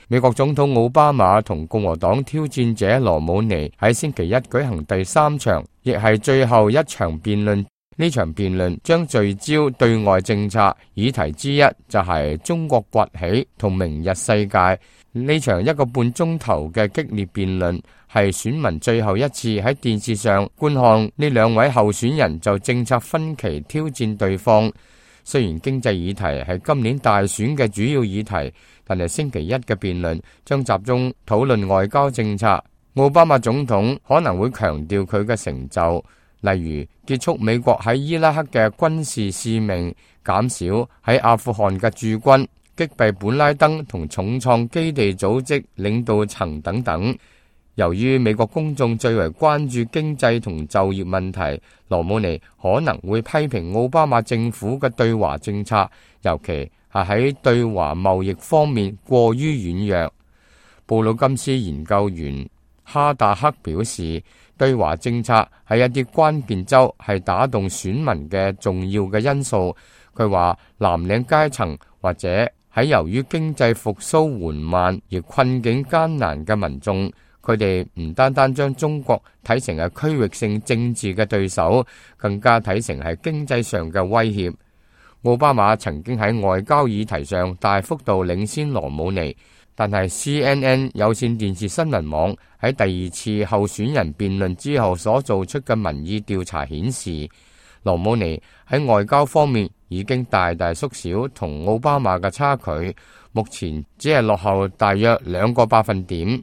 美國總統奧巴馬同共和黨挑戰者羅姆尼喺星期一舉行第3場，亦係最後一場辯論。呢場辯論將聚焦對外政策，議題之一就係中國崛起同明日世界。呢場1個半鐘頭嘅激烈辯論係選民最後一次喺電視上觀看呢兩位候選人就政策分歧挑戰對方。雖然經濟議題係今年大選嘅主要議題，但係星期一嘅辯論將集中討論外交政策。奧巴馬總統可能會強調佢嘅成就，例如結束美國喺伊拉克嘅軍事使命，減少喺阿富汗嘅駐軍，擊斃本拉登同重創基地組織領導層等等。由於美國公眾最為關注經濟同就業問題，羅姆尼可能會批評奧巴馬政府嘅對華政策，尤其係喺對華貿易方面過於軟弱。布魯金斯研究員哈達克表示，對華政策喺一啲關鍵州係打動選民嘅重要嘅因素。佢話藍領階層或者喺由於經濟復甦緩慢而困境艱難嘅民眾，佢哋唔單單將中國睇成係區域性政治嘅對手，更加睇成係經濟上嘅威脅。奧巴馬曾經喺外交議題上大幅度領先羅姆尼，但係 CNN 有線電視新聞網喺第2次候選人辯論之後所做出嘅民意調查顯示，羅姆尼喺外交方面已經大大縮小同奧巴馬嘅差距，目前只係落後大約2個百分點。